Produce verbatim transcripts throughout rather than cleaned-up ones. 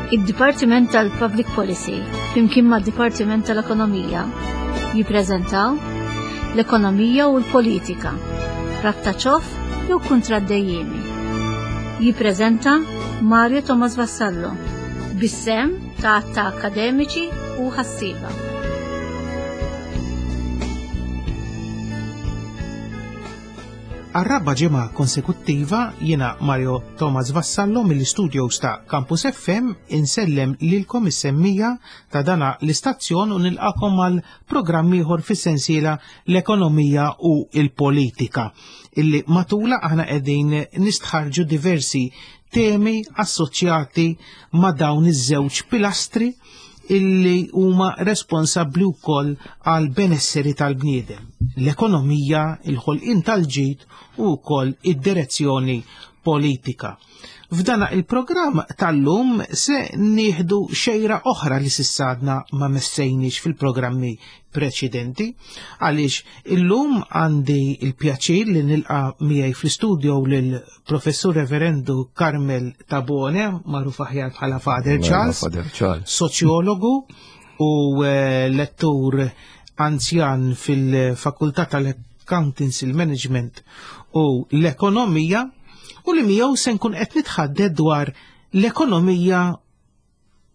Id-Dipartiment tal-Public Policy flimkien mad-Dipartiment tal-Ekonomija jippreżentaw l-Ekonomija u l-Politika, rabta ċoff jew kuntratt dejjiemi. Jippreżenta Mario Thomas Vassallo bis-sehem ta' ta' akademiċi u ħassieba. Għar-raba' ġimgħa konsekuttiva jiena Mario Thomas Vassallo mill-istudios ta' Campus F M insellem lilkom is-semmija ta' dana l-istazzjon u nilqakom għal programm ieħor fis-sensiela l-ekonomija u l-politika illi matula aħna qegħdin nistħarġu diversi temi assoċjati ma' dawn iż-żewġ pilastri illi huma responsabbli wkoll għal benesseri tal-bniedem, l-ekonomija, il-ħolqien tal-ġid u wkoll id-direzzjoni politika. F'dana il-programm tal-lum se nieħdu xejra oħra li sissadna ma messejniex fil-programmi preċedenti, għaliex illum għandi il-pjaċir li nilqa' miegħi fl-istudio lil Professur Reverendu Carmel Tabone, magħruf aħjar bħala Father Mela, Charles, Father Charles. soċjologu u, eh, lettur anzjan fil-Fakultà tal-Accountancy, il-Management u l-Ekonomija, u li miegħu se nkun qed nitħadded dwar l-ekonomija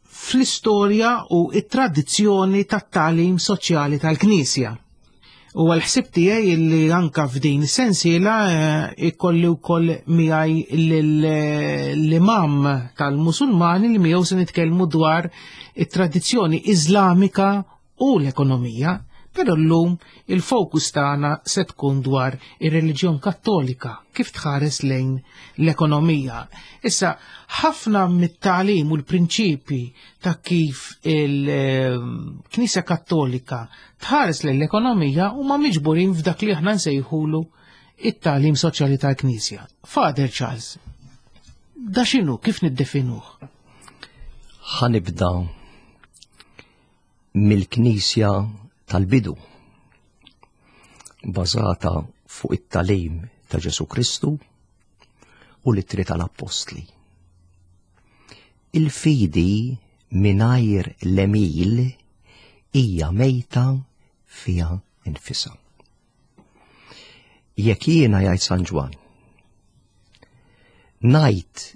fl-istorja u t-tradizzjoni tat-tagħlim soċjali tal-Knisja. U għal-ħsieb tiegħi li anka f'din is-sensiela, eh, ikolli wkoll miegħi l-imam tal-Musulmani li miegħu se nitkellmu dwar it-tradizzjoni Iżlamika u l-ekonomija. Però llum il-fokus tagħna se tkun dwar ir-reliġjon Kattolika kif tħares lejn l-ekonomija. Issa, ħafna mit-tagħlim u l-prinċipi ta' kif il-Knisja Kattolika tħares lejn l-ekonomija huma miġburin f'dak li aħna nsejħulu it-tagħlim soċjali tal-Knisja. Father Charles, da x'inhu, kif niddefinuh? Ħanibda mill-Knisja tal-bidu, bażata fuq it-tagħlim ta' Ġesu Kristu u l-ittri tal-Appostli. Il-fidi mingħajr l-għemil hija mejta fiha nfisha. Jekk jiena, jgħid San Ġwann, ngħid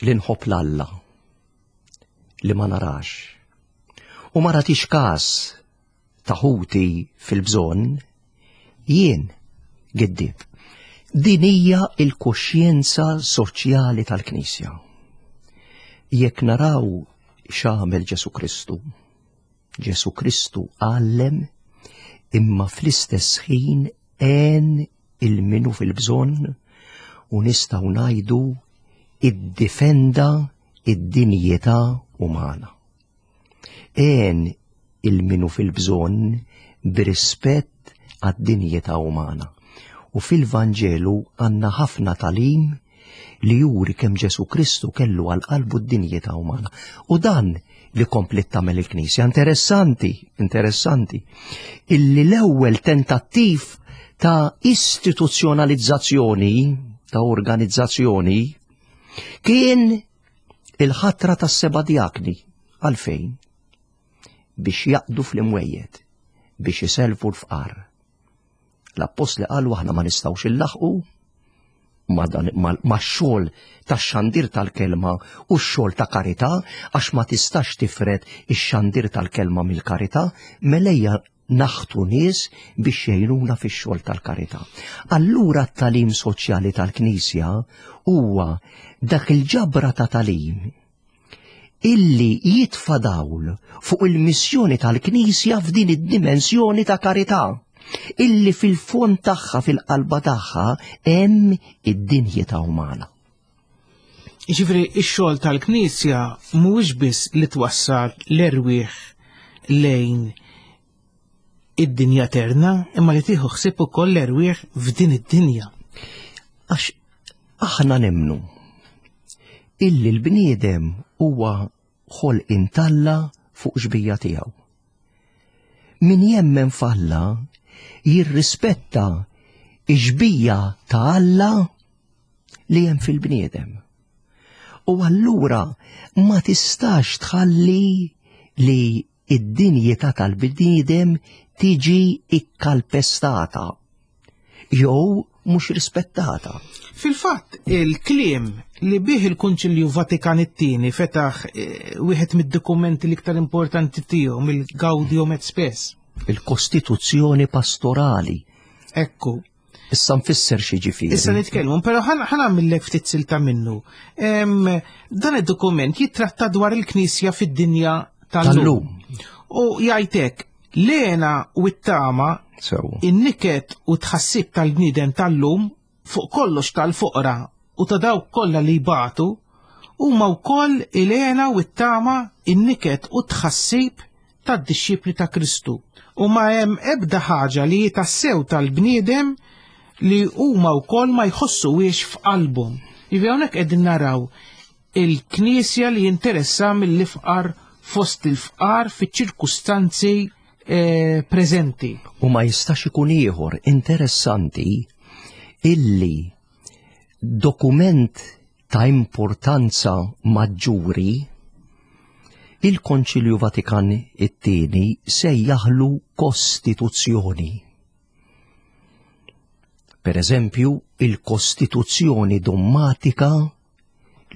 li nħobb l-Alla li ma narax u ma ratix każ ta' ħuti fil-bżonn, jien giddib. Din hija l-kuxjenza soċjali tal-Knisja. Jekk naraw x'għamel Ġesu Kristu, Ġesu Kristu għallem imma fl-istess ħin għen il-minu fil-bżonn u nistgħu ngħidu iddifenda id-dinjità umana. Għen il-minu fil-bżonn b'rispett għad-dinjità umana. U fil-Vanġelu għandna ħafna tagħlim li juri kemm Ġesu Kristu kellu għal qalbu d-dinjità umana. U dan li komplet tagħmel il-Knisja. Interessanti, interessanti, illi l-ewwel tentattiv ta' istituzzjonalizzazzjoni, ta' organizzazzjoni, kien il-ħatra tas-seba' djakni. Għalfejn? Biex jaqdu fl-imwejjed, biex iselfu l-fqar. L-appostli qalu aħna ma nistgħux illaħqu ma dan, ma, ma x-xogħol tax-xandir tal-kelma u x-xogħol ta' karità, għax ma tistax tifred ix-xandir tal-kelma mill-karità, melejja naħtu nies biex jgħinuna fix-xogħol tal-karità. Allura t-tagħlim soċjali tal-Knisja huwa dak il-ġabra ta' tagħlim illi jitfa' dawl fuq il-missjoni tal-Knisja f'din id-dimensjoni ta' karità, illi fil-fond tagħha, fil-qalba tagħha, hemm id-dinjità umana. Jiġifieri x-xogħol tal-Knisja mhuwiex biss li twassal l-erwieħ lejn id-dinja eterna, imma li tieħu ħsieb ukoll l-erwieħ f'din id-dinja. Għax aħna nemmnu illi l-bniedem huwa ħolqien t'Alla fuq xbija tiegħu. Min jemmen f'Alla jirrispetta x-xbija ta' Alla li hemm fil-bniedem. U allura ma tistax tħalli li id-dinjità tal-bniedem tiġi ikkalpestata jew mhux rispettata. Fil-fatt, il-kliem li bih il-Kunċilju Vatikan it-tieni fetaħ eh, wieħed mid-dokumenti l-iktar importanti tiegħu, mill-Gaudium et Spes. Il-Kostituzzjoni pastorali. Ekku. Issa nfisser xi ġifieri. Issa nitkellmu, però ħa nagħmillek ftit silta minnu. Em, Dan id-dokument jittratta dwar il-Knisja fid-dinja tal-lum. U jgħidlek l-hena u t-tama, Sew. in-niket u tħassib tal-bniedem tal-lum, fuq kollox tal-foqra u ta' dawk kollha li jbatu, huma wkoll il-hena u t-tama, in-niket u tħassib tad-dixxipli ta' Kristu. U ma hemm ebda ħaġa li tassew tal-bniedem li huma wkoll ma jħossuhiex f'qalbhom. Jiġifieri hawnhekk qegħdin naraw il-Knisja li jinteressa mill-ifqar fost il-fqar fiċ-ċirkustanzi eh, preżenti. U ma jistax ikun ieħor interessanti illi dokument ta' importanza maġġuri, il-Konċilju Vatikan it-tieni sejjaħlu kostituzzjoni. Per eżempju, il-Kostituzzjoni Dommatika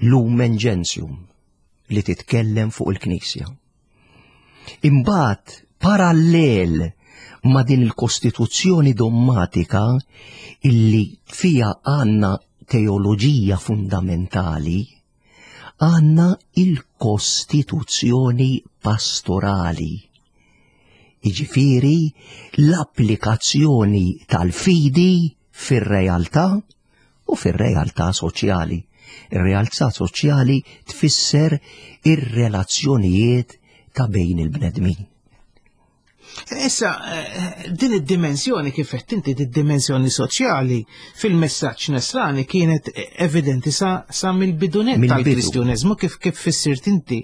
Lumen Gentium li titkellem fuq il-Knisja. Imbagħad, parallel ma' din il-Kostituzzjoni Dommatika illi fija għandna teoloġija fundamentali, għandna il-Kostituzzjoni Pastorali. Iġifieri l-applikazzjoni tal-fidi fir-realtà u fir-realtà soċjali. Ir-realtà soċjali tfisser ir-relazzjonijiet ta' bejn il-bnedmin. Issa, eh, din id-dimensjoni, kif qed inti, id-dimensjoni soċjali fil-messaġġ nesrani kienet evidenti sa, sa mill-bidunet Mill-bidu. tal-Kristjaneżmu, kif kif fissirt inti.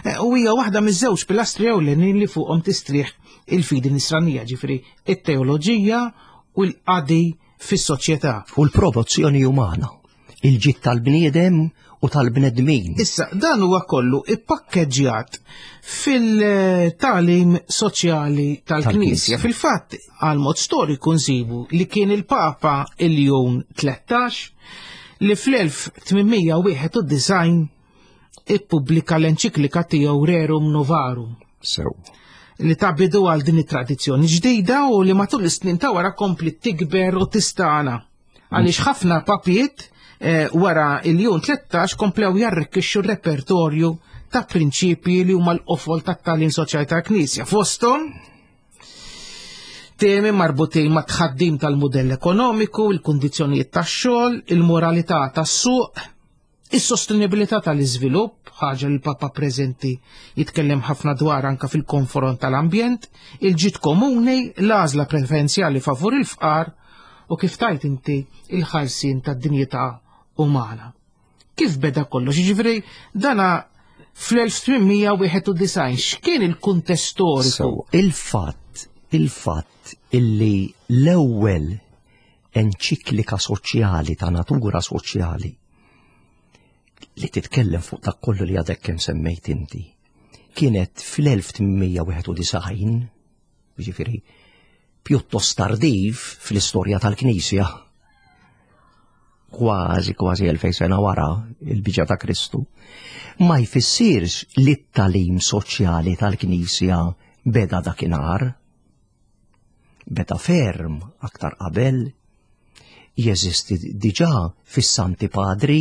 Eh, U hija waħda miż-żewġ pilastri ewlenin li fuqhom tistrieħ il-fidi nisranija, ġifieri it-teoloġija u l-qadi fis-soċjetà. U l-promozzjoni umana, il-ġid tal-bniedem u tal-bnedmin. Issa, dan huwa kollu ippakkeġġjat fil-tagħlim soċjali tal-Knisja. Tal-Knisja. Fil-fatt, għal mod storiku nsibu li kien il-Papa Iljun tlettax li fl-elf tmien mija wieħed u disgħin ippubblika l-enċiklika tiegħu Rerum Novarum Sew. li ta bidu għal din it-tradizzjoni ġdida u li matul is-snin ta' wara kompli tikber u tistana. Għaliex ħafna papiet eh, wara il-Jun tlettax komplew jarrikkixxu r-repertorju ta' prinċipji li huma l-qofol tat-tagħlim soċjali tal-Knisja. Fosthom temi marbutin ma' tħaddim tal-modell ekonomiku, il-kundizzjonijiet tax-xogħol, il-moralità tas-suq, is-sostenibilità tal-iżvilupp, ħaġa li l-Papa preżenti jitkellem ħafna dwar anka fil-konfront tal-ambjent, il-ġid komuni, l-għażla preferenzjali favur il-fqar u, kif tajt inti, il-ħarsien tad-dinjità umana. Kif beda kollox? Ġifieri dana fl-elf tmien mija wieħed u disgħin, x'kien il-kuntest storiku? Sew, il-fatt, il-fatt illi l-ewwel enċiklika soċjali ta' natura soċjali li titkellem fuq dak kollu li għadek kemm semmejt inti kienet fl-elf tmien mija wieħed u disgħin, ġifieri pjuttost tardiv fl-istorja tal-Knisja, kważi kważi elfejn sena wara il-biġa ta' Kristu, ma jfissirx li t-tagħlim soċjali tal-Knisja beda dakinhar. Beda ferm aktar qabel, jeżisti diġà fis-Santi Padri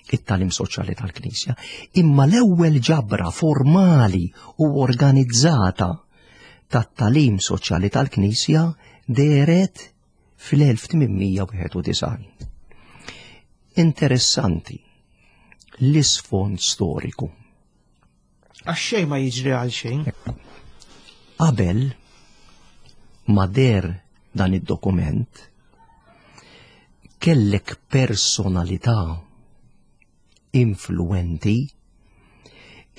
it-tagħlim soċjali tal-Knisja, imma l-ewwel ġabra formali u organizzata tat-tagħlim soċjali tal-Knisja dehret fl-elf tmien mija wieħed u disgħin. Interessanti l-isfond storiku. Għax xejn ma jiġri għal xejn. Qabel ma deher dan id-dokument, kellek personalità influenti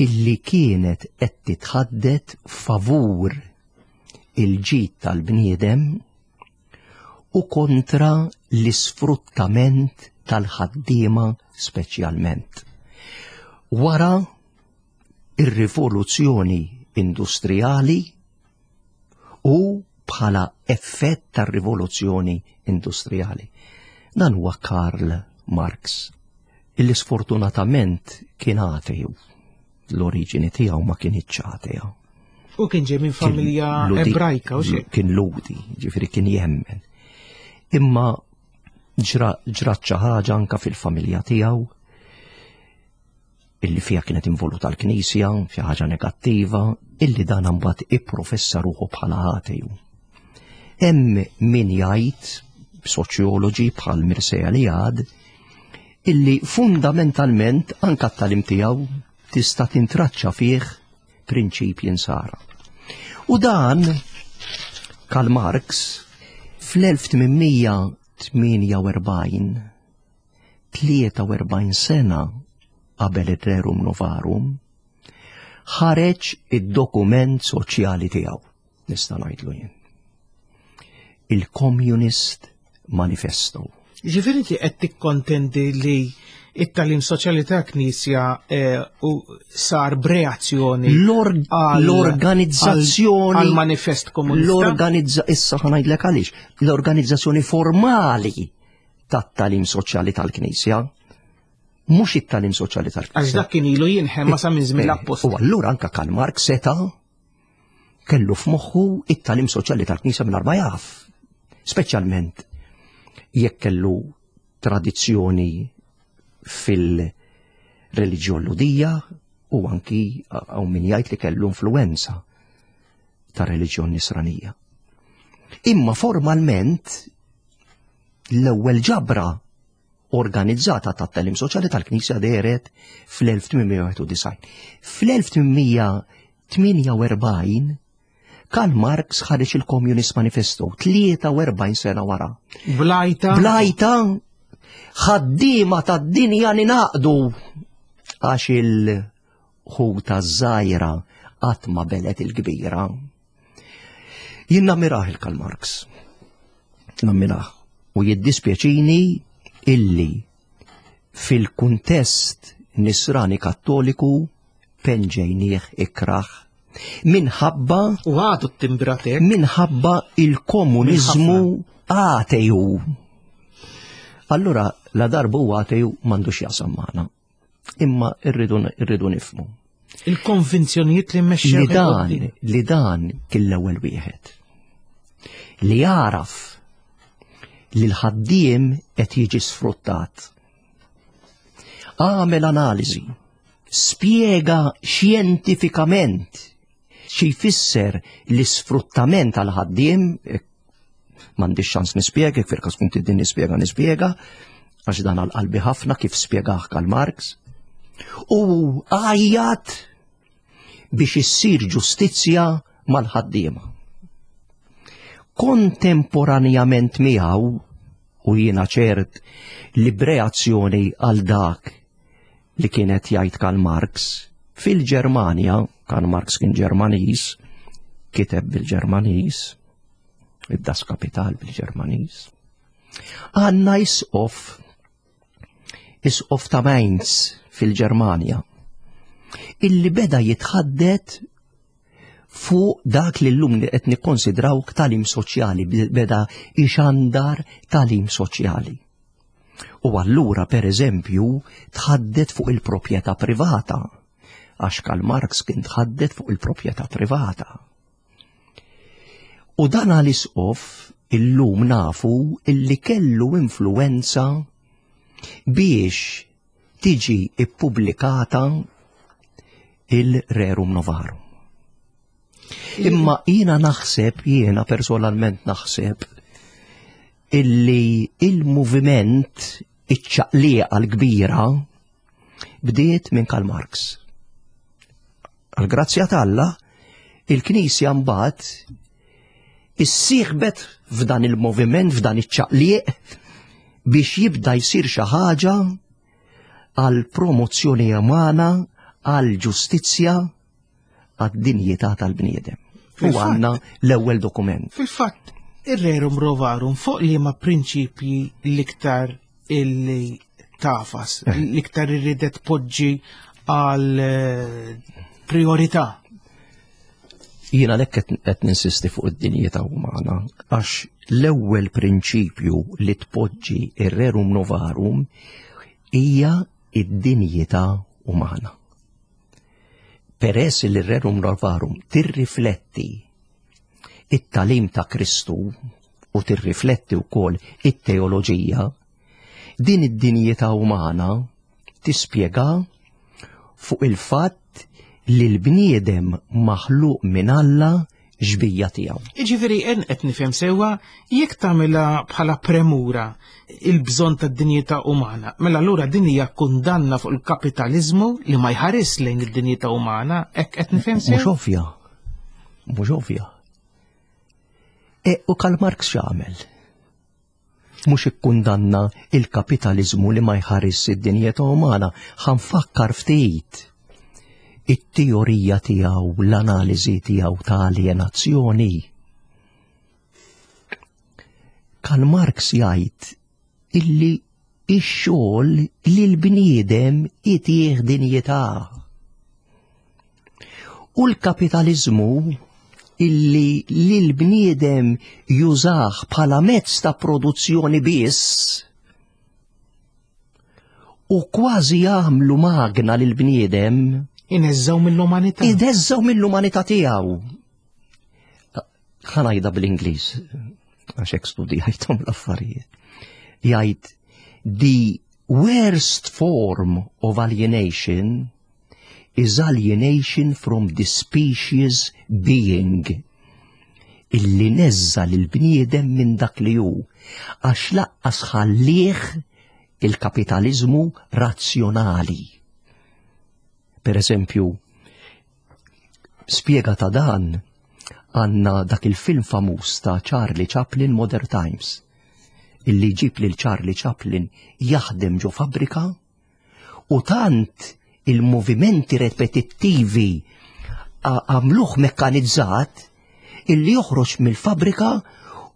illi kienet qed titħaddet favur il-ġid tal-bniedem u kontra l-isfruttament tal-ħaddiema speċjalment. Wara ir-rivoluzzjoni industrijali u bħala effett tar-rivoluzzjoni industrijali. Dan huwa Karl Marx, illi sfortunatament kien ateju. L-oriġini tiegħu ma kienitx ateja. U kien ġej minn familja ebrajka u xi. Kien Lhudi, ġifieri kien jemmen. Imma ġrat xi ħaġa anka fil-familja tiegħu illi fija kienet involuta l-Knisja, xi ħaġa negattiva, illi dan mbagħad ipprofessa ruħu bħala ateju. Hemm min jgħid, soċjoloġi bħal Mircea Eliade, illi fundamentalment anka t-tagħlim tiegħu tista' tintraċċa fih prinċipji nsara. U dan Karl Marx fl-elf tmien mija tmienja u erbgħin, tlieta u erbgħin sena qabel ir-Rerum Novarum, ħareġ id-dokument soċjali tiegħu, nista' ngħidlu jien. Il-Communist Manifesto. Ġifieri inti qed tikkontendi li it-tagħlim soċjali ta' Knisja eh, u sar b'reazzjoni l-organizzazzjoni għal manifest komunista. L-organizza issa ħa ngħidlek għaliex. L-organizzazzjoni formali tat-tagħlim soċjali tal-Knisja, mhux it-tagħlim soċjali tal-Knisja. Għax dak kien ilu jinħema sa minn żmien l-appostli. U allura anka Karl Marx seta' kellu f'moħħu it-tagħlim soċjali tal-Knisja mingħajr ma jaf. Speċjalment jekk kellu tradizzjoni fil-reliġjon Lhudija u anki hawn min jgħid li kellu influenza ta' reliġjon nisranija. Imma formalment l-ewwel ġabra organizzata ta' tagħlim soċjali tal-Knisja dehret fl-elf tmien mija wieħed u disgħin. Fl-elf tmien mija tmienja u erbgħin Karl Marx ħareġ il-Communist Manifesto tlieta u erbgħin sena wara. Blajta. Blajta ħaddiema tad-dinja ninaqdu għax il-ħuta żgħira qatt ma belet il-kbira. Jien nammirah il-Karl Marx. Nammirah. U jiddispjaċini illi fil-kuntest nisrani kattoliku penġejnieh ikraħ minħabba U għadu t-timbratek. Minħabba il-komunizmu ateju. Allura la darbu huwa ateju m'għandux jasam magħna. Imma irridu irridu nifhmu. Il-konvinzjonijiet li mmexxew Li dan, li dan kien l-ewwel wieħed. Li jaraf li l-ħaddiem qed jiġi sfruttat. Għamel analiżi, spjega xjentifikament xi jfisser l-isfruttament għal ħaddiem, m'għandix ċans nispjega, fil-każ kun tidin nispjega nispjega, għax dan għal qalbi ħafna kif spjegah Karl Marx, u għajjat biex issir ġustizzja mal-ħaddiema. Kontemporanjament miegħu, u jiena ċert li b'reazzjoni għal dak li kienet jgħid Karl Marx, fil-Ġermanja, Karl Marx kien Ġermaniż, kiteb bil-Ġermaniż, id-Das Kapital bil-Ġermaniż, għandna isqof, isqof ta' Mainz fil-Ġermanja, illi beda jitħaddet fuq dak li l-lum li qed nikkonsidraw tagħlim soċjali, beda ixandar tagħlim soċjali. U allura, per eżempju, tħaddet fuq il-proprjetà privata, għax Karl Marx kien tħaddet fuq il-proprjetà privata. U dan għal-isqof illum nafu illi kellu influenza biex tiġi ippubblikata il-Rerum Novarum. Imma jiena naħseb, jiena personalment naħseb, illi il-moviment, iċ-ċaqliqa l-kbira, bdiet minn Karl Marx. Għal-grazzja t'Alla, il-Knisja mbagħad issieħbet f'dan il-moviment, f'dan iċ-ċaqliq, biex jibda jsir xi ħaġa għal promozzjoni umana, għal ġustizzja, għad-dinjità tal-bniedem. U Fil-fatt- għandna l-ewwel dokument. Fil-fatt, ir-Rerum Novarum fuq li ma prinċipji l-iktar illi tafas, Eh. l-iktar irridet poġġi għal eh, priorità. Jiena lek qed ninsisti fuq id-dinjità umana għax l-ewwel prinċipju li tpoġġi ir-Rerum Novarum hija id-dinjità umana. Peress li r-Rerum Novarum tirrifletti it-tagħlim ta' Kristu u tirrifletti wkoll it-teoloġija, din id-dinjità umana tispjega fuq il-fatt li l-bniedem maħluq minn Alla xbieha tiegħu. Iġifieri en qed nifhem sewwa jekk tagħmilha bħala premura il-bżonn tad-dinjità umana. Mela allura din hija kundanna fuq il-kapitaliżmu li ma jħares lejn id-dinjità umana, hekk qed nifhem Mhux sew? ovvja. Mhux ovvja. E, u Karl Marx x'għamel? Mhux ikkundanna il-kapitaliżmu li ma jħares id-dinjità umana, ħa nfakkar ftit it-teorija tiegħu, l-analiżi tiegħu ta' alienazzjoni. Karl Marx jgħid illi ix-xogħol li l-bniedem itih dinjità. U l-kapitalizmu illi li l-bniedem jużah bħala mezz ta' produzzjoni biss u kważi jagħmlu magna lil bniedem Ineżżaw mill-umanità. Ineżżgħu mill-umanità tiegħu. Ħa ngħidha bl-Ingliż, għax hekk studjajthom l-affarijiet. Jgħid the worst form of alienation is alienation from the species being illi neżża' l-bniedem minn dak li hu għax lanqas ħallih il-kapitalizmu razzjonali. Per eżempju, spiega ta' dan għandna dak il-film famuż ta' Charlie Chaplin Modern Times illi ġib lil Charlie Chaplin jaħdem ġo fabbrika u tant il-movimenti repetittivi għamluh mekkanizzat illi joħroġ mill-fabrika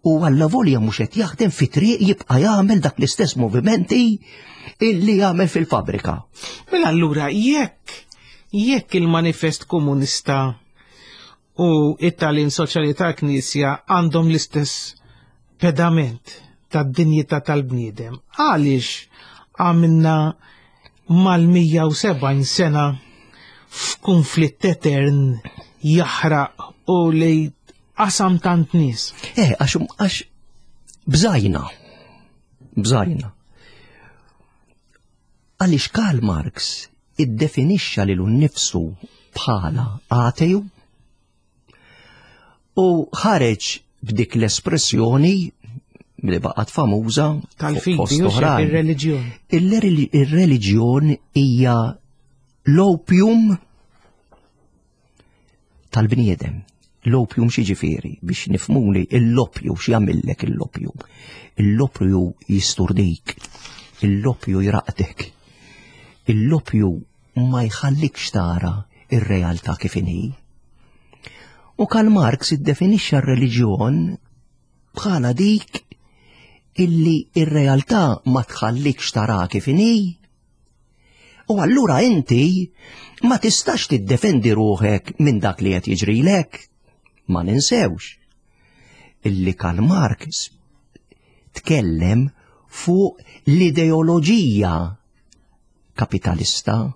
u għallavolja mhux qed jaħdem fi triq jibqa' jagħmel dak l-istess movimenti illi jagħmel fil-fabrika. Mela allura jekk jekk il-manifest komunista u it-tagħlim soċjali tal-Knisja għandhom l-istess pedament tad-dinjità tal-bniedem, għaliex għamilna mal-mija u sebgħin sena f'konflitt etern jaħraq u li qasam tant nies? Eh, għax għax bżajna, bżajna. Għaliex Karl Marx iddefinixxa lilu nnifsu bħala ateju u ħareġ b'dik l-espressjoni li baqgħet famuża tal-fidi fost u oħrajn. Ir-reliġjon. Il-reliġjon hija l-opium tal-bniedem. L-opium x'jiġifieri biex nifhmuni l-opju x'jagħmillek l-opju. L-opju jisturdik, l-opju jraqdek. L-opju ma jħallikx tara ir-realtà kif inhi. U Karl Marx iddefinixxa r-reliġjon bħala dik illi ir-realtà ma tħallikx tara kif inhi. U allura inti ma tistax tiddefendi ruħek minn dak li qed jiġrilek. Ma ninsewx illi Karl Marx tkellem fuq l-ideoloġija kapitalista.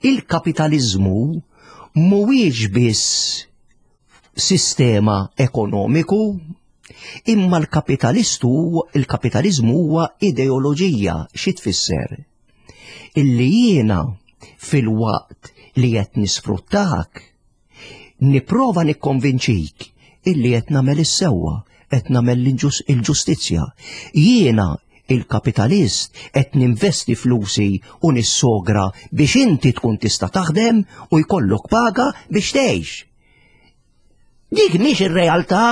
Il-kapitalizmu mhuwiex biss sistema ekonomiku, imma l-kapitalistu, il-kapitalizmu huwa ideoloġija. Xi tfisser? Illi jiena fil-waqt li qed nisfruttak, nipprova nikkonvinċik illi qed nagħmel is-sewwa, qed nagħmel il-ġustizzja. Jiena il-kapitalist qed ninvesti flusi u nissogra biex inti tkun tista' taħdem u jkollok paga biex tgħix. Dik mhix ir-realtà,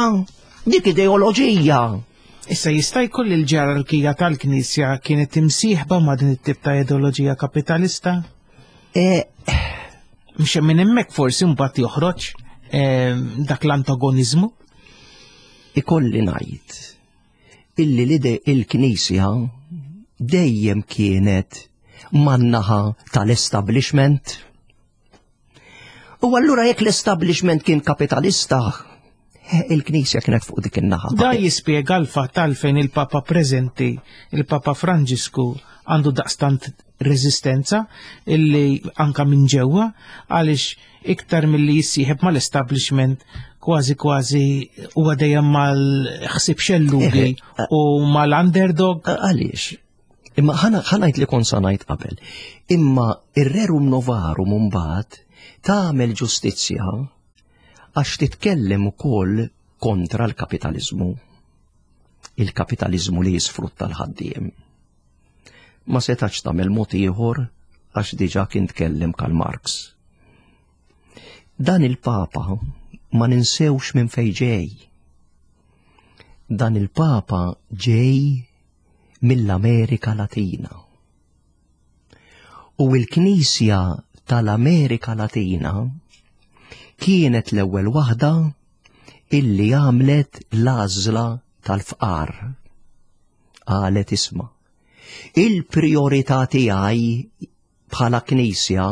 dik ideoloġija. Issa jista' jkun li l-ġerarkija tal-Knisja kienet imsieħba ma' din it-tip ta' ideoloġija kapitalista? E... Mhux minn hemmhekk forsi mbagħad joħroġ e, dak l-antagonizmu? Ikolli ngħid illi l-ide il-Knisja dejjem kienet man-naħa tal-establishment. U allura jekk l-establishment kien kapitalista, il-Knisja kienet fuq dik in-naħa. Da jispjega l-fatt għalfejn il-Papa preżenti, il-Papa Franġisku, għandu daqstant reżistenza illi anka minn ġewwa, għaliex iktar milli jissieħeb mal-establishment kważi kważi huwa dejjem mal-ħsieb xellugi u mal-underdog. Għaliex? Imma ħa ngħid li kont sa ngħid qabel. Imma ir-Rerum Novarum mbagħad tagħmel ġustizzja għax titkellem ukoll kontra l-kapitalizmu. Il-kapitalizmu li jisfrutta l-ħaddiem. Ma setax tagħmel mod ieħor għax diġà kien tkellem Karl Marx. Dan il-Papa ma ninsewx minn fejn ġej. Dan il-Papa ġej mill-Amerika Latina. U l-Knisja tal-Amerika Latina kienet l-ewwel waħda illi għamlet l-għażla tal-fqar. Qalet isma', il-priorità tiegħi bħala Knisja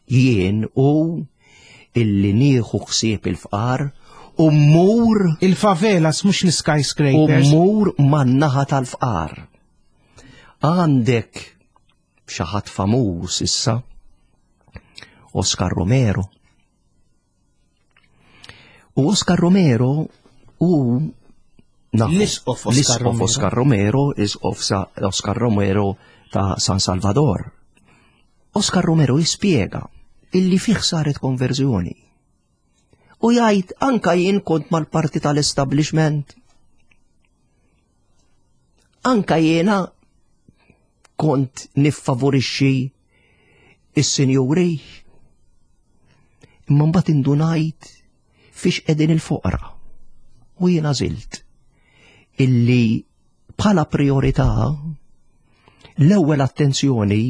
jien u illi nieħu ħsieb il-fqar u mmur il-favelas mhux l-skyscrapers. U mmur man-naħa tal-fqar. Għandek xi ħadd famuż issa, Oscar Romero. U Oscar Romero u l-isqof Oscar Romero. Oscar Romero, isqof Oscar Romero ta' San Salvador. Oscar Romero jispjega illi fih saret konverżjoni. U jgħid anka jien kont mal-parti tal-establishment. Anka jiena kont niffavorixxi is-sinjuri. Imma mbagħad indunajt fiex qegħdin il-foqra. U jiena żilt illi bħala priorità l-ewwel attenzjoni,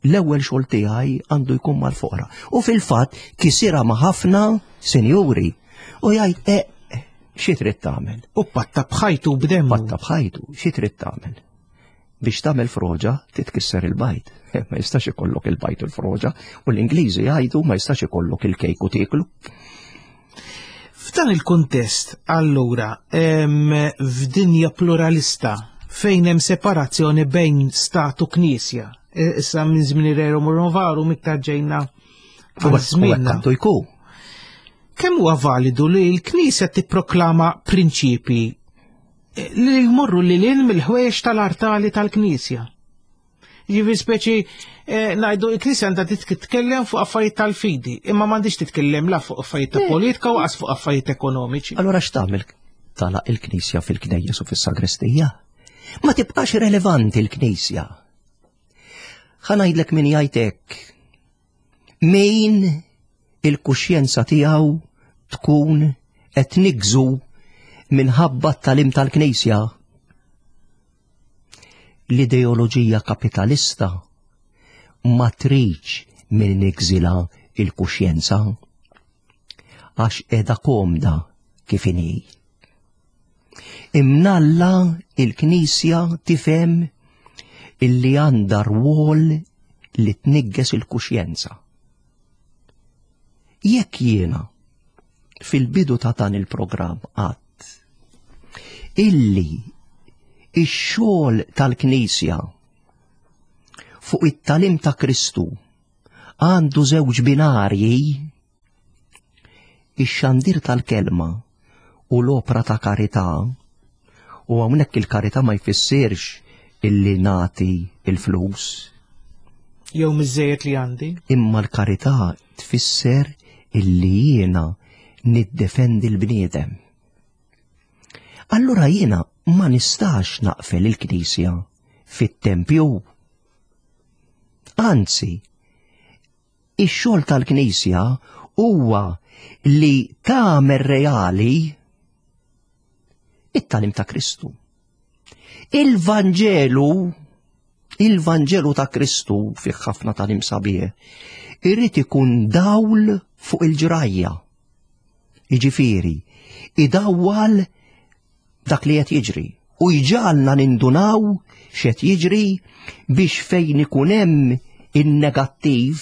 l-ewwel xogħol tiegħi għandu jkun mal-foqra. U fil-fatt kisirha ma' ħafna sinjuri. U jgħid e xi trid tagħmel? U patta b'ħajtu b'demmu. Patta b'ħajtu, xi trid tagħmel? Biex tagħmel froġa titkisser il-bajd. Ma jistax ikollok il-bajd u l-froġa, u l-Ingliżi jgħidu ma jistax ikollok il-kejk u tieklu. F'dan il-kuntest, allura, f'dinja pluralista fejn hemm separazzjoni bejn stat u knisja, issa minn żmien Rerum Novarum iktar ġejna għal żmienna. Għandu jkun. Kemm huwa validu li l-Knisja tipproklama prinċipi li jmorru lil hinn mill-ħwejjeġ tal-artali tal-Knisja? Ġifieri speċi ngħidu l-Knisja għandha titkellem fuq affarijiet tal-fidi, imma m'għandix titkellem la fuq affarijiet ta' politika u qas fuq affarijiet ekonomiċi. Allura x'tagħmel tagħlaq il-Knisja fil-Knejjes u fis-sagrestija? Ma tibqax relevanti l-Knisja. Ħa ngħidlek min jgħid hekk. Min il-kuxjenza tiegħu tkun qed nigżu minħabba t-talim tal-Knisja. L-ideoloġija kapitalista ma tridx min nigżilha il-kuxjenza għax qiegħda komda kif inhi. Imnalla il-Knisja tifhem illi għandha rwol li tnigges il-kuxjenza. Jekk jiena fil-bidu ta' dan il-programm għadt illi ix-xogħol tal-Knisja fuq it-talim ta' Kristu għandu żewġ binarji, ix-xandir tal-kelma u l-opra ta' karità, u hawnhekk il-karità ma jfissirx illi nagħti il-flus. Jew miżejjed li għandi. Imma l-karità tfisser illi jiena niddefendi l-bniedem. Allura jiena ma nistax naqfel il-Knisja fit-tempju. Anzi, ix-xogħol tal-Knisja huwa li tagħmel reali it-talim ta' Kristu. Il-Vanġelu, il-Vanġelu ta' Kristu fih ħafna talim sabiħ, irid ikun dawl fuq il-ġrajja. Jiġifieri, idawwal dak li qed jiġri u jġalna nindunaw x'qed jiġri biex fejn ikun hemm in-negattiv,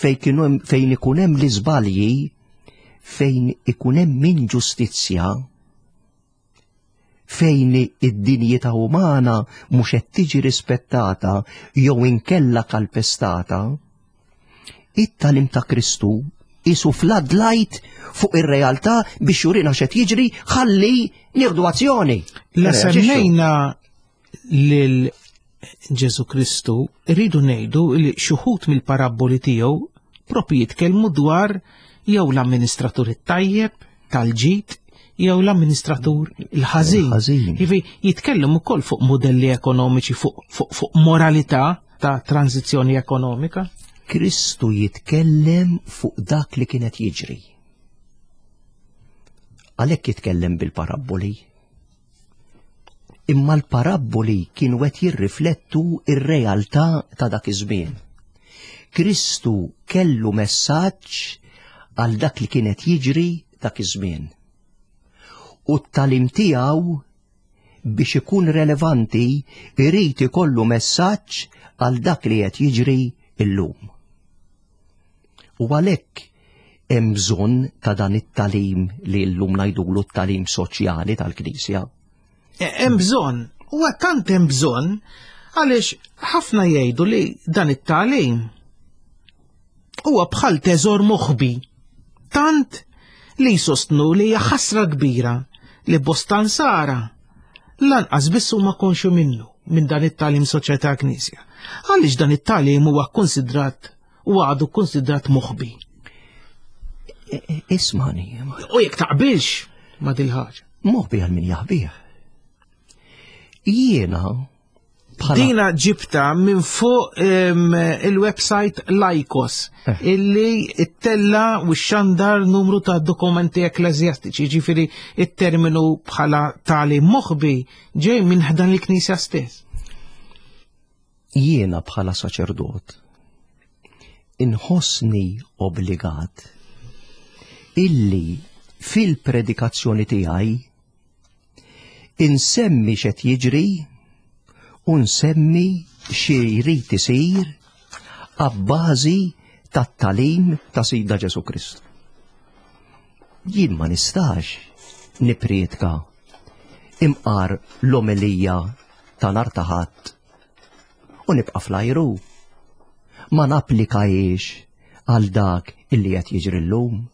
fejn fejn ikun hemm l-iżbalji, fejn ikun hemm inġustizzja, fejn id-dinjità umana mhux qed tiġi rispettata jew inkella kalpestata, it-tagħlim ta' Kristu qisu floodlight fuq ir-realtà biex jurina x'qed jiġri ħalli nieħdu azzjoni. La semmejna lil Ġesu Kristu, rridu ngħidu li xi wħud mill-parabboli tiegħu propri jitkellmu dwar jew l-amministratur it-tajjeb tal-ġid jew l-amministratur il-ħażin. Jiġifieri jitkellem ukoll fuq modelli ekonomiċi, fuq, fuq, fuq moralità ta' tranzizzjoni ekonomika. Kristu jitkellem fuq dak li kienet jiġri. Għalhekk jitkellem bil-parabboli. Imma l-parabboli kienu qed jirriflettu ir-realtà ta' dak iż-żmien. Kristu kellu messaġġ għal dak li kienet jiġri dak iż-żmien. U t-tagħlim tiegħu biex ikun relevanti irid ikollu messaġġ għal dak li qed jiġri illum. U għalhekk hemm bżonn ta' dan it-tagħlim li llum ngħidulu t-tagħlim soċjali tal-Knisja. Hemm bżonn, huwa tant hemm bżonn għaliex ħafna jgħidu li dan it-tagħlim huwa bħal teżor moħbi. Tant li jsostnu li hija ħasra kbira li bosta nsara lanqas biss huma konxju minnu minn dan it-tagħlim soċjali tal-Knisja. Għaliex dan it-tagħlim huwa konsidrat u għadu konsidrat moħbi. Ismani. U jekk taqbilx ma dil-ħaġa. Moħbi għal min jaħbih. Jiena Dina ġibta minn fuq il-website Laikos, eh. illi ittella u xandar numru ta' dokumenti ekklesjastiċi, ġifiri it-terminu bħala tali moħbi ġej minn ħdan il-Knisja stess. Jiena bħala saċerdot inħossni obbligat illi fil-predikazzjoni tiegħi insemmi x'qed jiġri u nsemmi xi jrid isir abbażi tat-tagħlim ta' Sidna Ġesu Kristu. Jien ma nistax niprietka imqar l-omelija ta' nhar ta' Ħadd u nibqa' flajru. Ma napplikajiex għal dak illi qed jiġri llum.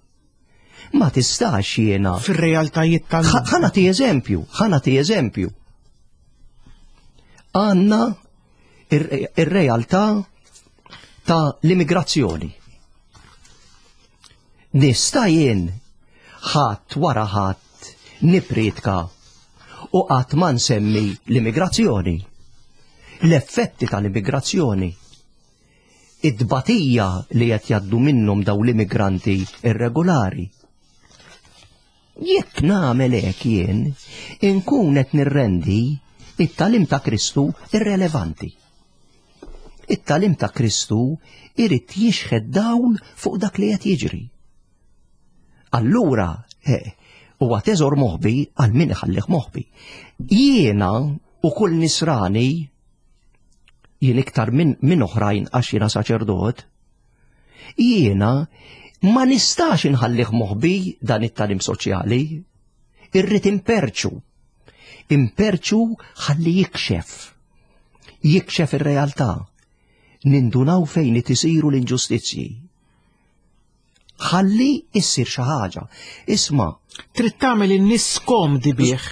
Ma tistax jiena. Fir-realtajiet tal. Ħa nagħti eżempju, ħa nagħti eżempju. Għandna ir-realtà ta' l-immigrazzjoni. Nista' jien ħadd wara ħadd nipritka u qatt ma nsemmi l-immigrazzjoni. L-effetti tal-immigrazzjoni. Id-batija li qed jgħaddu minnhom daw l-immigranti irregolari. Jekk nagħmel hekk jien, inkun qed nirrendi it-tagħlim ta' Kristu irrelevanti. It-tagħlim ta' Kristu irid jixħed dawl fuq dak li qed jiġri. Allura, huwa teżor moħbi għal min iħallih moħbi. Jiena u kull nisrani, jien iktar minn min oħrajn għax jiena saċerdot, jiena ma nistax inħallih moħbi dan it-tagħlim soċjali. Irrid imperċu. Imperċu ħalli jikxef. Jikxef ir-realtà. Nindunaw fejn isiru l-inġustizzji. Ħalli issir xi ħaġa. Isma'. Trid tagħmel in-nies skomdi bih.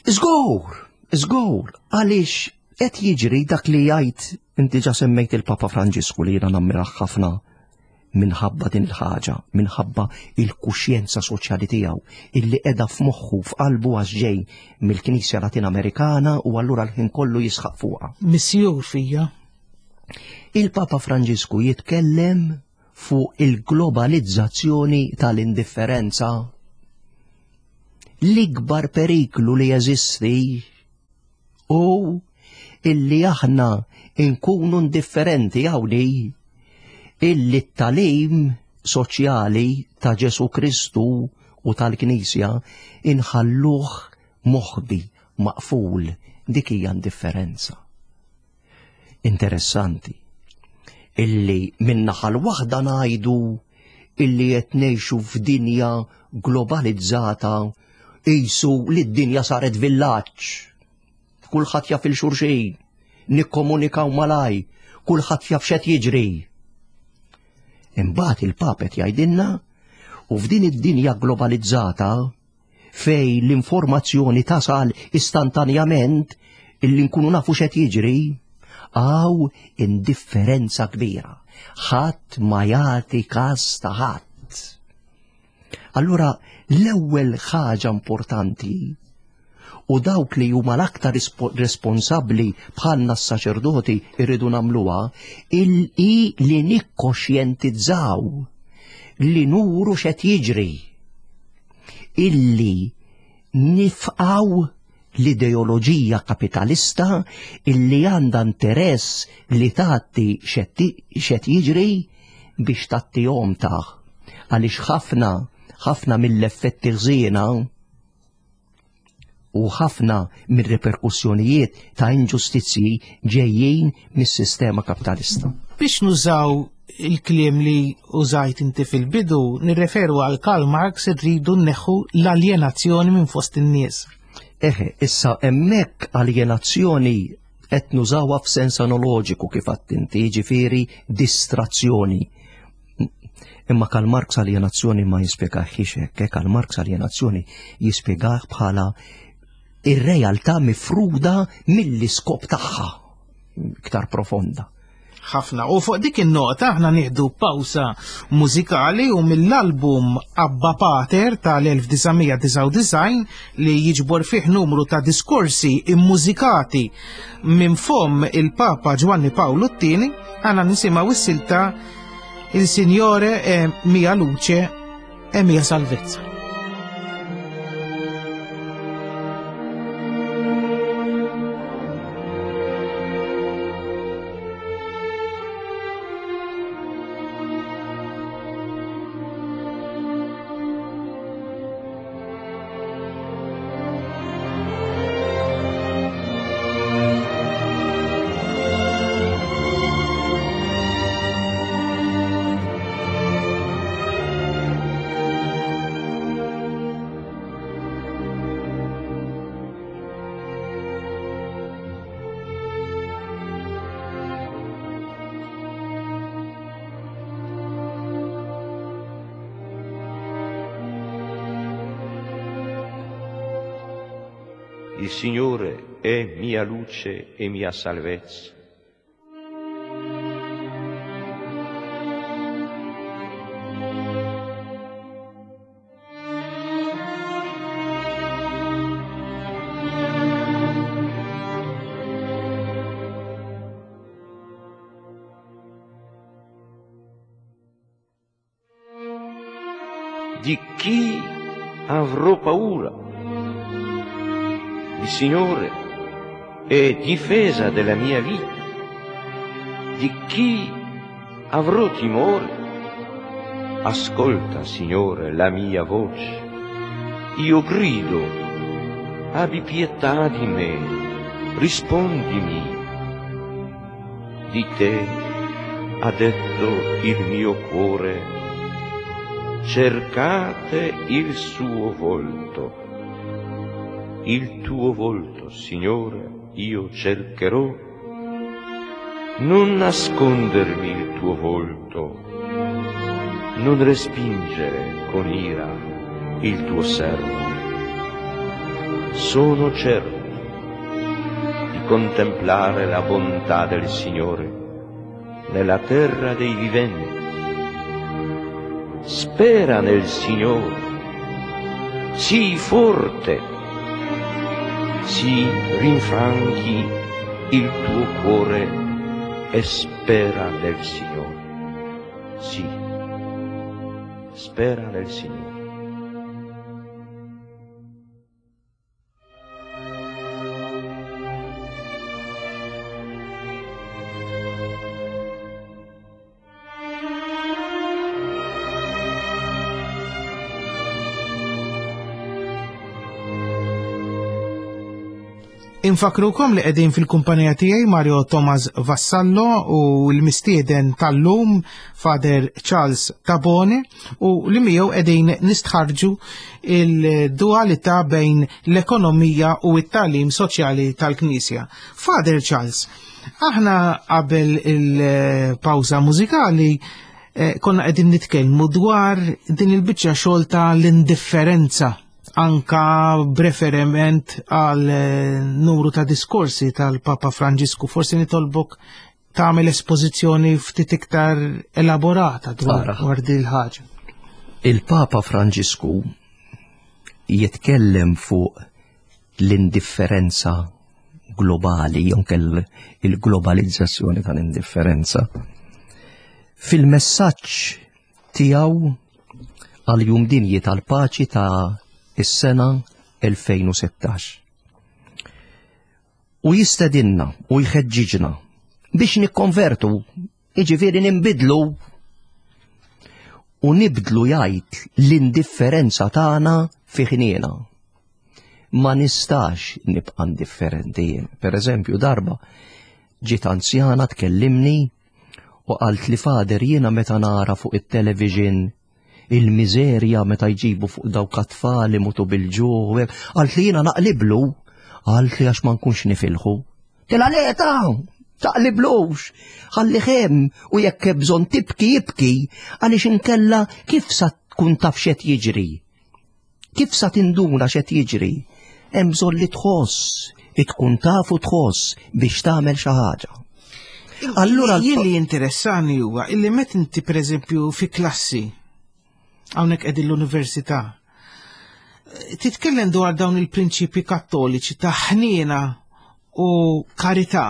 Żgur, żgur, għaliex qed jiġri dak li jgħid inti ġa semmejt il-Papa Franġisku li jiena nammirah ħafna minħabba din il-ħaġa, minħabba il-kuxjenza soċjali tiegħu illi qiegħda f'moħħu f'qalbu għax ġej mill-Knisja Latin Amerikana u allura l-ħin kollu jisħaq fuqha. Missjur fija. Il-Papa Franġisku jitkellem fuq il-globalizzazzjoni tal-indifferenza. L-ikbar periklu li jeżisti u illi aħna nkunu indifferenti hawnhi illi t-tagħlim soċjali ta' Ġesu Kristu u tal-Knisja inħalluh moħbi, maqful, dik hija indifferenza. Interessanti illi min-naħa l-waħda ngħidu illi qed ngħixu f'dinja globalizzata, qisu li d-dinja saret villaġġ. Kulħadd jaf il xulxin, nikkomunikaw malaj, kulħadd jaf x'qed jiġri. Imbagħad il-Papa qed jgħidilna u f'din id-dinja globalizzata fej l-informazzjoni tasal istantanjament illi nkunu nafu x'qed jiġri, għaw indifferenza kbira. Ħadd ma jagħti każ ta' ħadd. Allura l-ewwel ħaġa importanti u dawk li huma l-aktar responsabbli bħalna s-saċerdoti irridu nagħmluha il li nikkoxjentizzaw, li nuru x'qed jiġri, illi nifqaw l-ideoloġija kapitalista illi għandha interess li tagħti x'qed jiġri biex tagħtihom taħ. Għaliex ħafna ħafna mill-effetti ħżiena u ħafna mir-reperkussjonijiet ta' inġustizzji ġejjin mis-sistema kapitalista. Biex nużaw il-kliem li użajt inti fil-bidu, nirreferu għal Karl Marx, irridu nneħħu l-aljenazzjoni minn fost in-nies. Eħe, issa hemmhekk aljenazzjoni qed nużawha f'sens analoġiku kif għedt inti, jiġifieri distrazzjoni. Imma Karl Marx aljenazzjoni ma jispjegahx hekk, Karl Marx aljenazzjoni jispjegah bħala ir-realtà mifruda mill-iskop tagħha iktar profonda. Ħafna. U fuq dik in-nota aħna nieħdu pawsa mużikali u mill-album Abba Pater tal-elf disa' mija disgħa u disgħin li jiġbor fih numru ta' diskorsi immużikati minn fomm il-Papa Ġwanni Pawlu t-tieni, aħna nisimgħu s-silta Il Signore è mia luce e mia salvezza. Il Signore è mia luce e mia salvezza. Di chi avrò paura? Il Signore è difesa della mia vita. Di chi avrò timore? Ascolta, Signore, la mia voce. Io grido, abbi pietà di me, rispondimi. Di te ha detto il mio cuore, cercate il suo volto. Il tuo volto, Signore, io cercherò. Non nascondermi il tuo volto, non respingere con ira il tuo servo. Sono certo di contemplare la bontà del Signore nella terra dei viventi. Spera nel Signore, sii forte, si rinfranchi il tuo cuore e spera nel Signore. Sì, spera nel Signore. Infakrukom li qegħdin fil-kumpanija tiegħi Mario Thomas Vassallo u l-mistieden tal-lum Father Charles Tabone u li miegħu qegħdin nistħarġu il-dualità bejn l-ekonomija u t-tagħlim soċjali tal-Knisja. Father Charles, aħna qabel il-pawża mużikali eh, konna qegħdin nitkellmu dwar din il-biċċa xogħol ta' l-indifferenza anka b'referiment għal eh, numru ta' diskorsi tal-Papa Franġisku. Forsi nitolbok tagħmel espożizzjoni ftit iktar elaborata dwar dwar din il-ħaġa. Il-Papa Franġisku jitkellem fuq l-indifferenza globali, jonke il-globalizzazzjoni tal-indifferenza. Fil-messaġġ tiegħu għal jum dinji tal-paċi ta' is-sena elfejn u sittax. U jistedinna u jħeġġiġna biex nikkonvertu, jiġifieri ninbidlu u nibdlu jgħid l-indifferenza tagħna fi ħniena. Ma nistax nibqa' indifferenti jien. Per eżempju, darba ġiet anzjana tkellimni u qalt li Fader jiena meta nara fuq it-television il-miżerja meta jġibu fuq dawk at-tfal imutu bil-ġuħ, qalt li jiena naqliblu, qalt li għax ma nkunx nifilħu. Tela leta, taqliblux, ħalli ħem u jekk hemm bżonn tibki jibki, għaliex inkella kif sa tkun taf x'qed jiġri? Kif sa tinduna x'qed jiġri? Hemm bżonn li tħoss, tkun taf u tħoss biex tagħmel xi ħaġa. Allura jien li interessani huwa illi meta inti pereżempju fi klassi hawnhekk qegħdin l-università, titkellem dwar dawn il-prinċipji kattoliċi ta' ħniena u karità,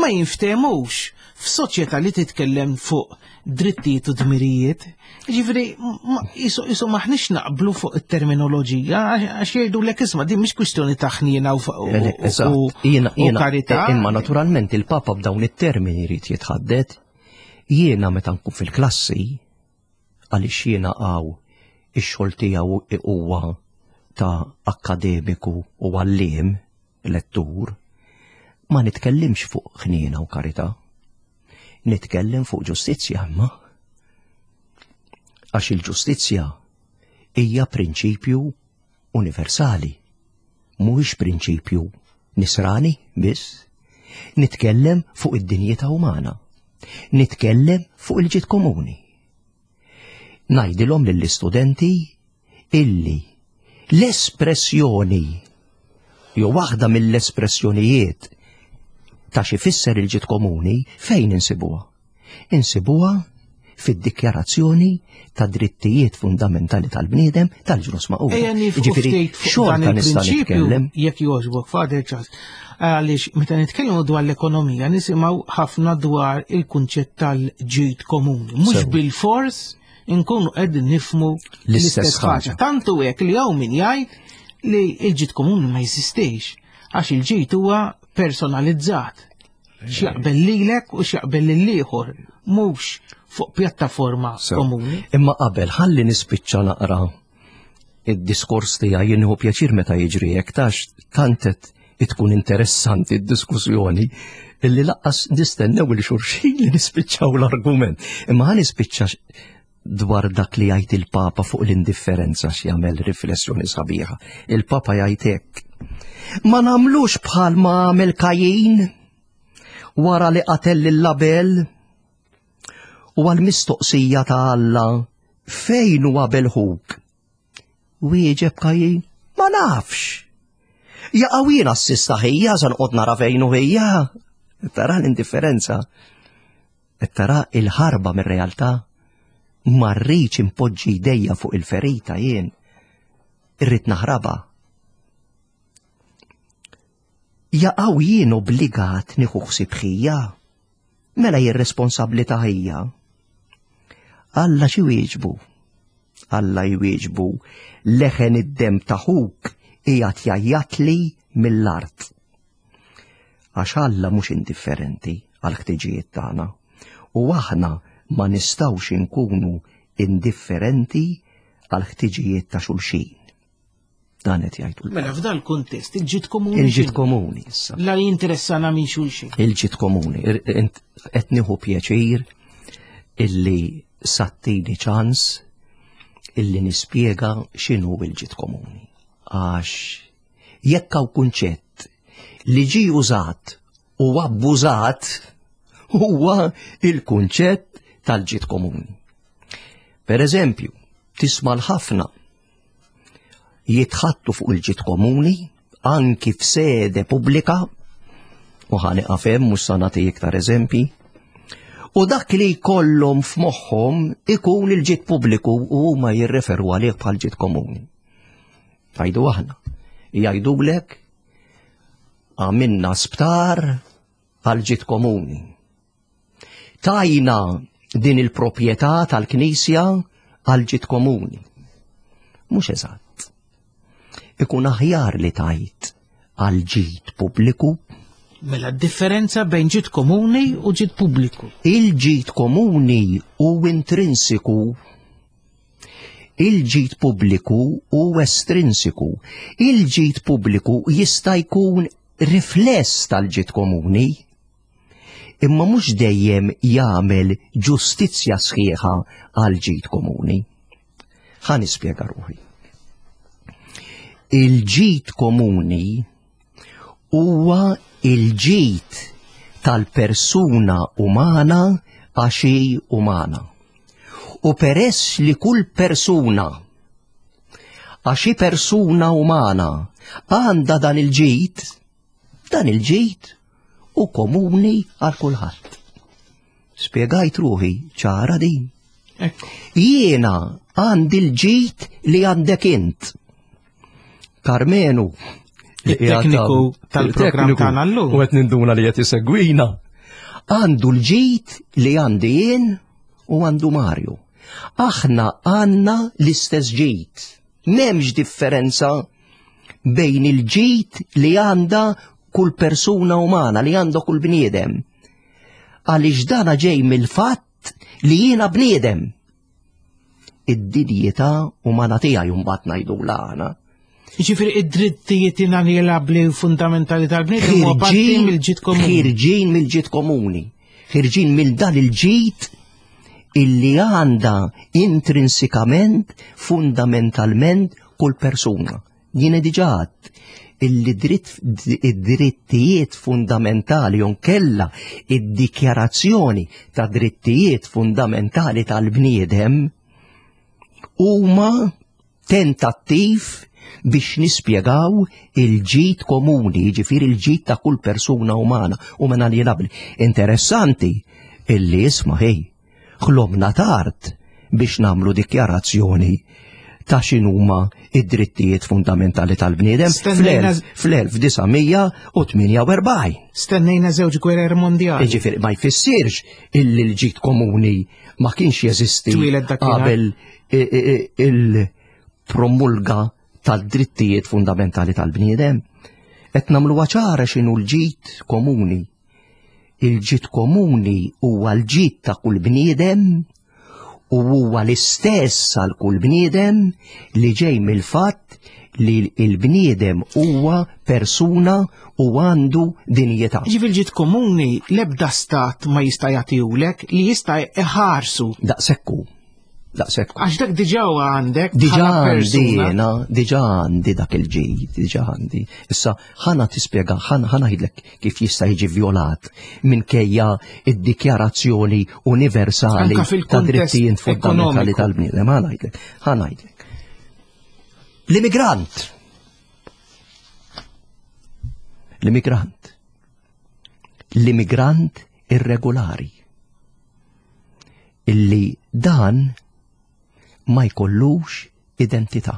ma jinftehmux f'soċjetà li titkellem fuq drittijiet u dmirijiet. Ġifieri, ma-, isu, isu maħniex naqblu fuq it-terminoloġija, għax jgħidu lek isma' din mhix kwistjoni ta' ħniena u fa-, u-, Eh, eżatt. u-, Jiena, u jiena, karità. Imma naturalment il-Papa b'dawn it-termini jrid jitħaddet. Jiena meta nkun fil-klassi, għaliex jiena għaw ix-xogħol tiegħu huwa ta' akademiku u għalliem, lettur, ma nitkellimx fuq ħniena u karità. Nitkellem fuq ġustizzja, imma. Għax il-ġustizzja hija prinċipju universali, mhuwiex prinċipju nisrani biss. Nitkellem fuq id-dinjità umana. Nitkellem fuq il-ġid komuni. Ngħidilhom lill-istudenti illi l-espressjoni jew waħda mill-espressjonijiet ta' xi fisser il-ġid komuni fejn insibuha? Insibuha fid-dikjarazzjoni ta' drittijiet fundamentali tal-bniedem tal-Ġnus Magħquda. Ejja nifqu Jiġifieri, ftit fuq xorta dan nista' il-prinċipju, nitkellem. jekk jogħġbok, Father Charles, għaliex meta nitkellmu dwar l-ekonomija nisimgħu ħafna dwar il-kunċett tal-ġid komuni. Mhux Sew. bil-fors inkunu qegħdin nifmu L-istess l-istess ħaġa. ħaġa. Tantu hekk li hawn min jgħid li l-ġid komuni ma jeżistix, għax il-ġid huwa personalizzat. X'jaqbel lilek u x'jaqbel lill-ieħor, mhux fuq pjattaforma Sew. komuni. Imma qabel ħalli nispiċċa naqra id-diskors tiegħi, jien nieħu pjaċir meta jiġri hekk, tax tantet tkun interessanti d-diskussjoni illi laqqas nistennew il xulxin li nispiċċaw l-argument. Imma ħa nispiċċa dwar dak li jgħid il-Papa fuq l-indifferenza x'jagħmel riflessjoni sabiħa. Il-Papa jgħid hekk: ma nagħmlux bħal ma għamel Kajin wara li qatel lil Abel u għal-mistoqsija ta' Alla fejn hu Abel ħuk? Wieġeb Kajin: ma nafx. Jaqaw jiena s-sista ħija sa noqgħod nara fejn hu ħija. Tara l-indifferenza, tara il-ħarba mir-realtà. Ma rridx impoġġi jdejja fuq il-ferita jien, irrid naħraba. Jaqaw jien obbligat nieħu ħsieb ħija, mela jien responsabbli ta' ħija. Alla xi wieġbu? Alla jwieġbu: leħen id-dem ta' ħuk qiegħed jgħajjatli mill-art. Għax Alla mhux indifferenti għal ħtiġijiet tagħna, u aħna ma nistgħux inkunu indifferenti għal ħtiġijiet ta' xulxin. Dan qed jgħidu. Mela f'dal kuntest il-ġid komuni. Il-ġid komuni issa. La jinteressana minn xulxin. Il-ġid komuni. Qed nieħu pjaċir illi sattini ċans illi nispjega x'inhu il-ġid komuni. Għax jekk hawn kunċett li ġie użat u abbużat huwa il-kunċett tal-ġid komuni. Per eżempju, tisma' l-ħafna jitħattu fuq il-ġid komuni anki f'sede pubblika, u ħa nieqaf hemm mhux sa nagħti iktar eżempji, u dak li jkollhom f'moħħhom ikun il-ġid pubbliku u huma jirreferu għalih bħal ġid komuni. Għajdu aħna, jgħidulek għamilna sptar għal ġid komuni. Tajna din il-proprjetà tal-Knisja għal ġid komuni. Mhux eżatt. Ikun aħjar li tajt għal ġid pubbliku. Mela differenza bejn ġid komuni u ġid pubbliku. Il-ġid komuni u intrinsiku. Il-ġid pubbliku u estrinsiku. Il-ġid pubbliku jista' jkun rifless tal-ġid komuni, imma mhux dejjem jagħmel ġustizzja sħiħa għal ġid komuni. Ħa nispjega ruħi. Il-ġid komuni huwa il-ġid tal-persuna umana għax hi umana. U peress li kull persuna għax hi persuna umana għandha dan il-ġid, dan il-ġid u komuni għal kulħadd. Spjegajt ruħi ċara din. Jiena għandi l-ġid li għandek int. Karmenu, il-tekniku tal-programm tagħna llum. U qed ninduna li qed isegwina. Għandu l-ġid li għandi jien u għandu Mario. Aħna għandna l-istess ġid. M'hemmx differenza bejn il-ġid li għandha kull persuna umana, li għandha kull bniedem. Għaliex dana ġej mill-fatt li jiena bniedem. Id-dinjità umana tiegħi mbagħad ngħidulha aħna. Jiġifieri id-drittijiet inaljenabbli fundamentali tal-bniedem huwa parti mill-ġid komuni. Ħirġin mill-ġid komuni. Ħirġin mill dan il-ġid illi għandha intrinsikament, fundamentalment kull persuna. Jiena diġà għedt illi id-drittijiet fundamentali jonkella id-dikjarazzjoni ta' drittijiet fundamentali tal-bniedem huma tentattiv biex nispjegaw il-ġid komuni, jiġifieri il-ġid ta' kull persuna umana u inaljenabbli. Interessanti illi isma' ħej, ħlomna tard biex nagħmlu dikjarazzjoni ta' x'inhuma id-drittijiet fundamentali tal-bniedem fl-elf disa' mija u tmienja u erbgħin. Stennejna żewġ gwerer mondjali. Jiġifieri ma jfissirx illi l-ġid komuni ma kienx jeżisti qabel il-promulga tal-drittijiet fundamentali tal-bniedem. Qed nagħmluha ċara x'inhu l-ġid komuni. Il-ġid komuni huwa l-ġid ta' kull bniedem u huwa l-istess għal kull bniedem li ġej mill-fatt li l-bniedem huwa persuna u għandu dinjità. Ġifieri l-ġid komuni l-ebda stat ma jista' jagħtihulek li jista' iħarsu. Daqsekku. Daqsekku. Għax dak diġà għandek. Diġà għandi jiena, diġà għandi dak il-ġid, diġà għandi. Issa ħana tispjega, ħana ngħidlek kif jista' jiġi vjolat minkejja id-dikjarazzjoni universali ta' drittijiet fundamentali tal-bniedem. Ħana ngħidlek, ħana ngħidlek. L-immigrant. L-immigrant. L-immigrant irregolari. Illi dan ma jkollux identità.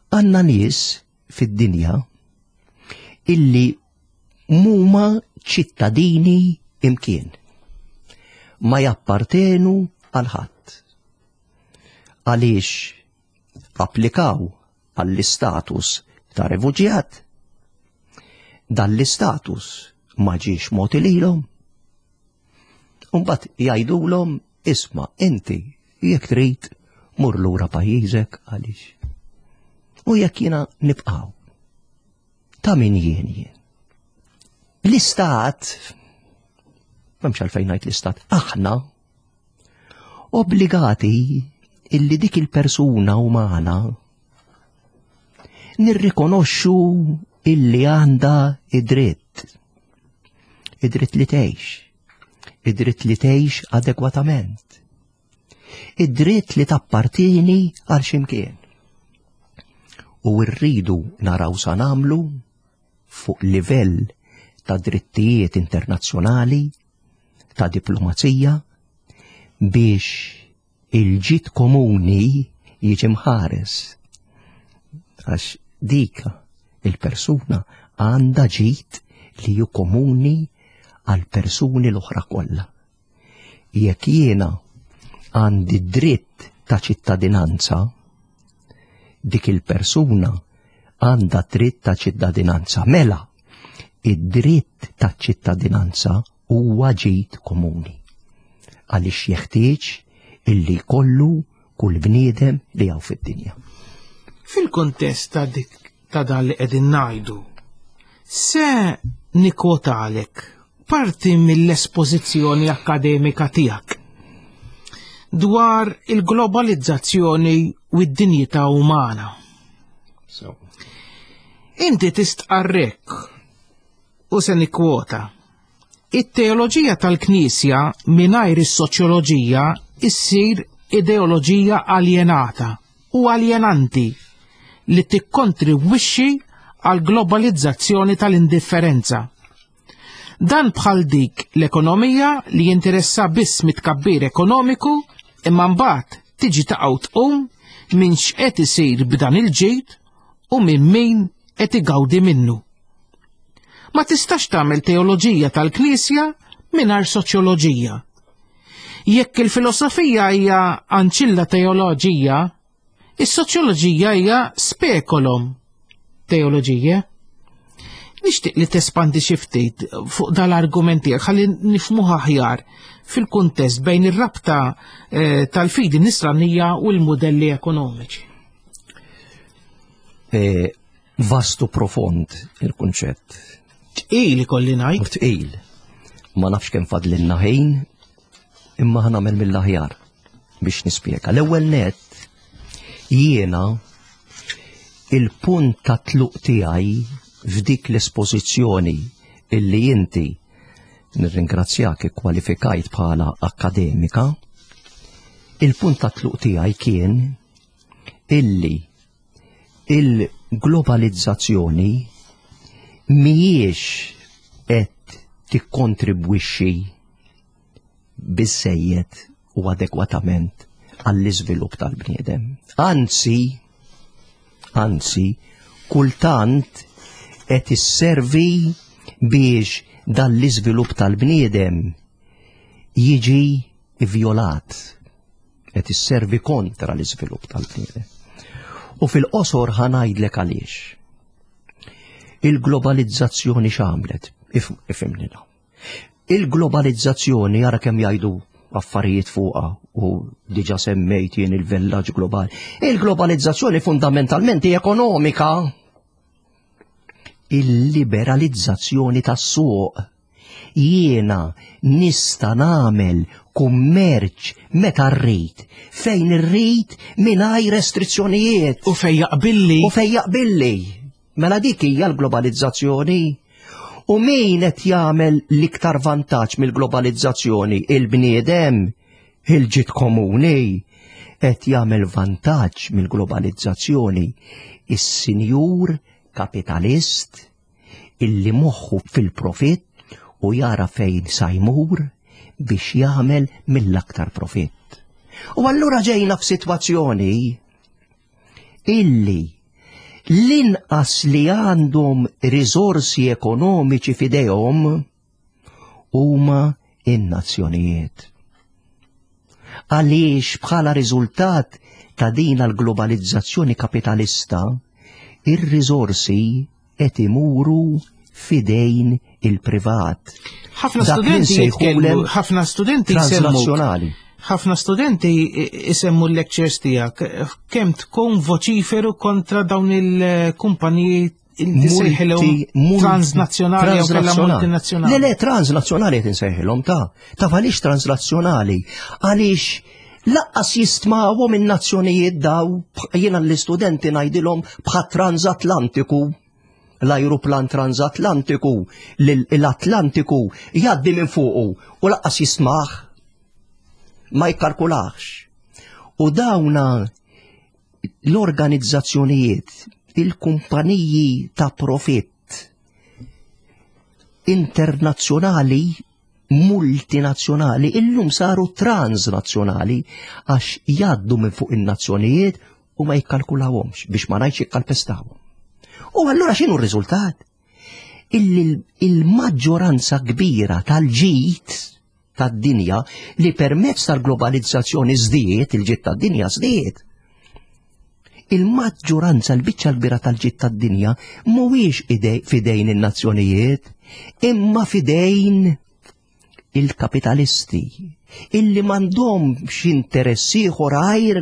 Għanna nies fid-dinja illi mhuma ċittadini imkien. Ma jappartenu għal ħadd. Għaliex applikaw għall-istatus ta' refuġjat, dan l-istatus ma ġiex mogħti lilhom. Imbagħad jgħidulhom isma' inti jekk trid mur lura pajjiżek għaliex U jekk jiena nibqgħu, ta' min jien jien? L-istat, m'hemmx għalfejn ngħid l-istat, aħna obbligati illi dik il-persuna umana nirrikonoxxu illi għandha id-dritt. Id-dritt li tgħix. Id-dritt li tgħix adegwatament. Id-dritt li tappartieni għal x'imkien. U rridu naraw sa nagħmlu fuq livell ta' drittijiet internazzjonali, ta' diplomazija, biex il-ġid komuni jiġi mħares. Għax dik il-persuna għandha ġid li ju komuni għal persuni l-oħra kollha. Jekk jiena għandi dritt ta' ċittadinanza, dik il-persuna għandha dritt ta' ċittadinanza. Mela, id-dritt ta' ċittadinanza huwa ġid komuni. Għaliex jeħtieġ illi kollu kull bniedem li hawn fid-dinja. Fil-kontest ta' dik ta' dan li qegħdin ngħidu, se nikwotalek parti mill-espożizzjoni akkademika tiegħek dwar il-globalizzazzjoni u d-dinjità umana. So. Inti tistqarrek u se nikkwota. It-teoloġija tal-Knisja mingħajr is-soċjoloġija issir ideoloġija aljenata u aljenanti li tikkontribwixxi għal globalizzazzjoni tal-indifferenza. Dan bħal dik l-ekonomija li jinteressa biss mit-tkabbir ekonomiku imma mbagħad tiġi taqgħu tqum minn x'qed isir b'dan il-ġid u minn min qed igawdi minnu. Ma tistax tagħmel teoloġija tal-Knisja mingħajr soċjoloġija. Jekk il-filosofija hija anċilla teoloġija, is-soċjoloġija hija speculum teoloġija. Nixtieq li tespandi xi ftit fuq dal-argument tiegħek ħalli nifhmuha aħjar fil-kuntest bejn ir-rabta eh, tal-fidi nisranija u l-mudelli ekonomiċi. E, vastu profond il-kunċett. Tqil ikolli ngħid. U tqil. Ma nafx kemm fadlilna ħin, imma ħa nagħmel mill-aħjar biex nispjega. L-ewwel net jiena il-punt ta' tluq tiegħi f'dik l-espożizzjoni illi inti nirringrazzjak ikkwalifikajt bħala akademika, il-punt ta' tluq tiegħi kien illi il-globalizzazzjoni mhijiex qed tikkontribwixxi biżejjed u adekwatament għall-iżvilupp tal-bniedem. Anzi, anzi, kultant qed isservi biex dan l-iżvilupp tal-bniedem jiġi vjolat, qed isservi kontra l-iżvilupp tal-bniedem. U fil-qosor ħa ngħidlek għaliex. Il-globalizzazzjoni x'għamlet? Ifhimni. Il-globalizzazzjoni ara kemm jgħidu affarijiet fuqha u diġa semmejt jien il-villaġġ globali. Il-globalizzazzjoni fundamentalment hi ekonomika. Il-liberalizzazzjoni tas-suq. Jiena nista' nagħmel kummerċ meta rrid, fejn irrid mingħajr restrizzjonijiet. U fejn jaqbilli. U fejn jaqbilli. Mela dik hija l-globalizzazzjoni. U min qed jagħmel l-iktar vantaġġ mill-globalizzazzjoni? Il-bniedem, il-ġid komuni. Qed jagħmel vantaġġ mill-globalizzazzjoni is-sinjur kapitalist illi moħħu fil-profitt u jara fejn sa jmur biex jagħmel mill-aktar profitt. U allura ġejna f'sitwazzjoni illi l-inqas li għandhom riżorsi ekonomiċi f'idejhom huma in-nazzjonijiet. Għaliex bħala riżultat ta' din l-globalizzazzjoni kapitalista, ir-riżorsi qed imuru f'idejn il-privat. Ħafna Dak li studenti jitkellmu, nsejħulem ħafna studenti jsemmuk. Transnazzjonali. Ħafna studenti isemmu l-lectures tiegħek kemm tkun voċiferu kontra dawn il-kumpaniji transnazzjonali jew kellha multinazzjonali. Le le, transnazzjonali qed insejħilhom ta' taf għaliex transnazzjonali? Għaliex lanqas jistmawhom in-nazzjonijiet daw, jiena l-istudenti ngħidilhom bħat transatlantiku, l-ajruplan transatlantiku, l-Atlantiku jgħaddi minn fuqu u lanqas jismah, ma jikkalkulax. U dawna l-organizzazzjonijiet, il-kumpaniji ta' profitt internazzjonali, multinazzjonali, illum saru transnazzjonali għax jgħaddu minn fuq in-nazzjonijiet u ma jikkalkulawhomx, biex ma ngħidx jikkalpestawhom. U allura x'inhu r-riżultat? Illi il-maġġoranza kbira tal-ġid tad-dinja li permezz tal-globalizzazzjoni żdied, il-ġid tad-dinja żdied. Il-maġġoranza, l-biċċa l-kbira tal-ġid tad-dinja mhuwiex fidejn in-nazzjonijiet, imma fidejn il-kapitalisti illi m'għandhomx interess ieħor għajr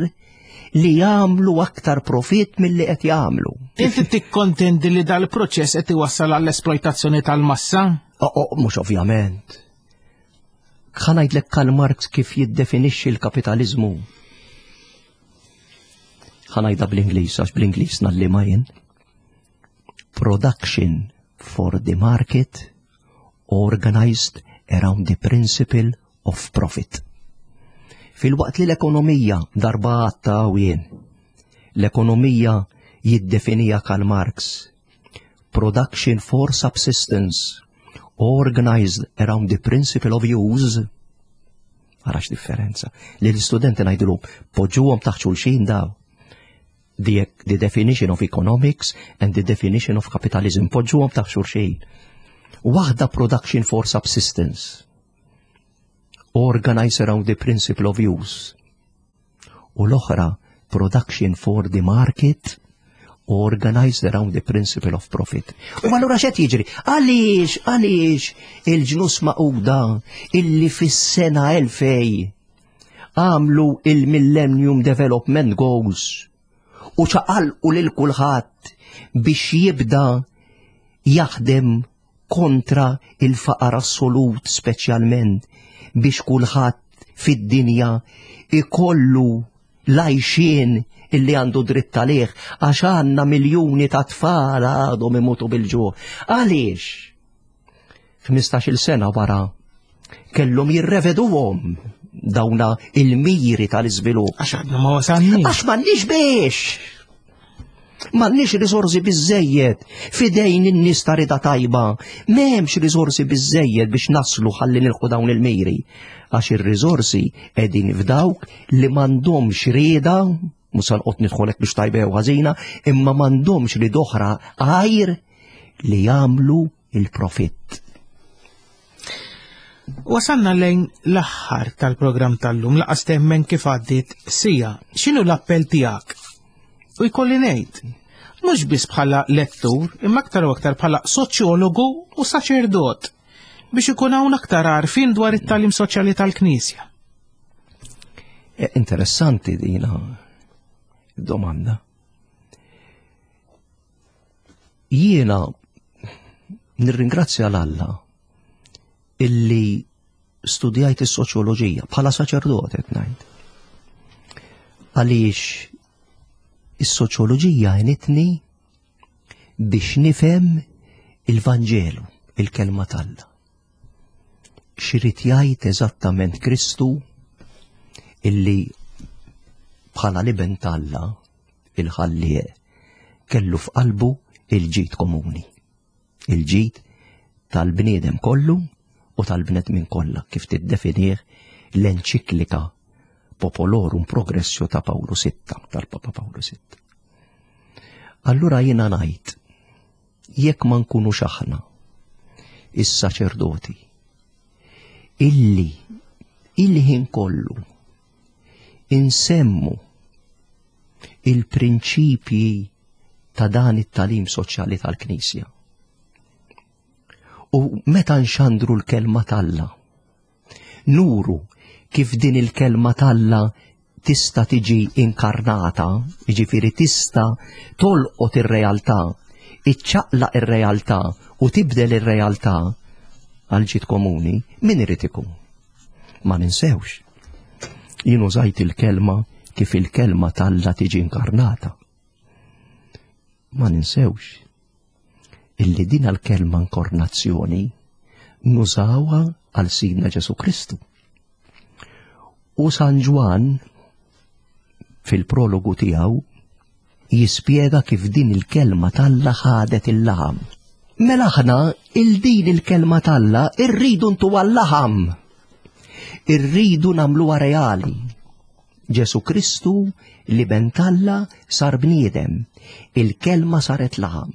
li jagħmlu aktar profit milli qed jagħmlu. Inti tikkontendi li dal-proċess qed iwassal għall-esploitazzjoni tal-massa? Oh, oh, mhux ovvjament. Ħa ngħidlek Karl Marx kif jiddefinixxi l-kapitaliżmu. Ħa ngħidha bl-Ingliż, għax bl-Ingliż ngħallimha jien. Production for the market organized around the principle of profit. Fil-waqt li l-ekonomija darba għatta jien, l-ekonomija jiddefinija Karl Marx. Production for subsistence organized around the principle of use. Arax differenza. Li l-studenti ngħidulu, poġġuhom taħt xulxin daw. The, the definition of economics and the definition of capitalism, poġġuhom taħt xulxin. Waħda production for subsistence, organized around the principle of use. U l-oħra production for the market, organized around the principle of profit. U allura x'qed jiġri? Għaliex, għaliex il-Ġnus Magħquda illi fis-sena elfejn għamlu il-Millennium Development Goals u ċaqalqu lil kulħadd biex jibda jaħdem kontra il-faqar assolut, speċjalment biex kulħadd fid-dinja ikollu l-għajxien illi għandu dritt għalih, għax għandna miljuni ta' tfal għadhom imutu bil-ġuħ. Għaliex? ħmistax-il sena wara kellhom jirreveduhom dawna il-miri tal-iżvilupp. Għax għadna ma wasalniex. Għax m'għandniex biex. M'għandniex risorsi biżejjed fidejn in-nies ta' rida tajba. M'hemmx risorsi biżejjed biex naslu ħalli nilħu dawn il-miri. Għax ir-risorsi qegħdin f'dawk li m'għandhomx rieda, mhux se noqgħod nidħolek biex tajba jew ħażina, imma m'għandhomx rieda oħra għajr li jagħmlu il-profitt. Wasalna lejn l-aħħar tal-programm tal-lum, lanqas temmen kif għaddiet siegħa. X'inhu l-appell tiegħek? U jkolli ngħid, mhux biss bħala lettur, imma aktar u aktar bħala soċjologu u saċerdot biex ikun hawn aktar għarfien dwar it-tagħlim soċjali tal-Knisja. E, interessanti dina domanda. Jiena nirringrazzja l-Alla illi studjajt is-soċjoloġija bħala saċerdot qed ngħid. Għaliex is-soċjoloġija għenitni biex nifhem il-Vanġelu, il-kelma t'Alla. X'irid jgħid eżattament Kristu illi bħala l-iben t'Alla il-ħallieq kellu f'qalbu il-ġid komuni, il-ġid tal-bniedem kollu u tal-bnedmin kollha, kif tiddefinih l-enċiklika Populorum Progressio ta' Pawlu Sitta, tal-Papa Pawlu Sitta. Allura jiena ngħid, jekk ma nkunux aħna is-saċerdoti illi il-ħin kollu insemmu il-prinċipji ta' dan it-tagħlim soċjali tal-Knisja, u meta nxandru l-kelma t'Alla nuru kif din il-kelma t'Alla tista' tiġi inkarnata, jiġifieri tista' tolqot ir-realtà, iċċaqlaq ir-realtà u tibdel ir-realtà għal ġid komuni, min irid ikun? Ma ninsewx. Jien użajt il-kelma kif il-kelma t'Alla tiġi inkarnata. Ma ninsewx illi din l-kelma inkarnazzjoni nużawha għal Sidna Ġesu Kristu. U San Ġwann fil-prologu tiegħu jispjega kif din il-kelma t'Alla ħadet il-laħam. Mela aħna il din il-kelma t'Alla irridu ntuha l-laħam. Irridu nagħmluha reali. Ġesu Kristu l-Iben t'Alla sar bniedem, il-kelma saret laħam.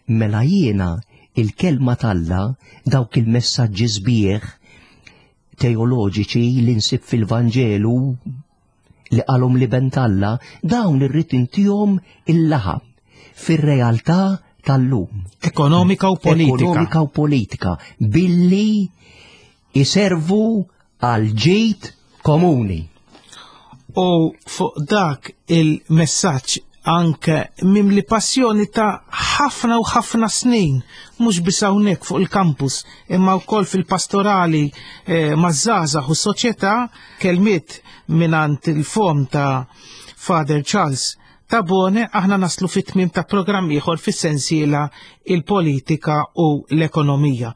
Mela jiena il-kelma t'Alla dawk il-messaġġi sbieħ teoloġiċi li nsib fil-Vanġelu li qalhom l-Iben t'Alla, dawn irrid intihom il-laħam fir-realtà tal-lum. Ekonomika u politika. Ekonomika u politika billi iservu għal ġid komuni. U fuq dak il-messaġġ anke mimli passjoni ta' ħafna u ħafna snin, mhux biss hawnhekk fuq il-kampus, imma wkoll fil-pastorali eh, maż-żgħażagħ u s-soċjetà, kelmiet mingħand il-fom ta' Father Charles Tabone, aħna naslu fit-tmiem ta' programm ieħor fis-sensiela il-politika u l-ekonomija.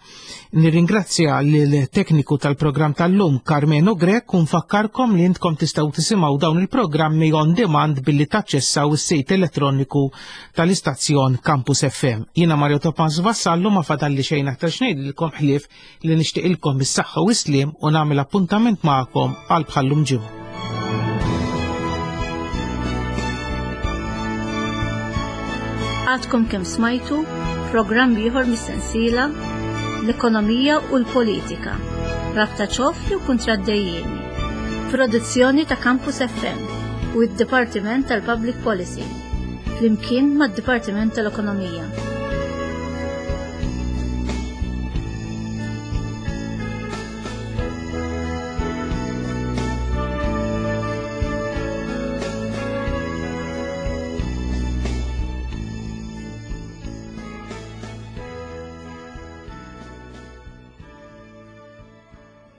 Nirringrazzja lill-tekniku tal-programm tal-lum Carmeno Grech u nfakkarkom li intkom tistgħu tisimgħu dawn il-programmi on demand billi taċċessaw is-sit elettroniku tal-istazzjon Campus F M. Jiena Mario Topaz Vassallo, ma fadalli xejn aktar x'ngħidilkom ħlief li nixtieqilkom is-saħħa u s-sliem u nagħmel appuntament magħkom għal bħallum ġimgħa. Għadkom kemm smajtu programm ieħor mis-sensiela l-ekonomija u l-politika, rabta ċoff jew kontraddejjeni. Produzzjoni ta' Campus F M u d-Dipartiment tal-Public Policy, flimkien mad-Dipartiment tal-Ekonomija.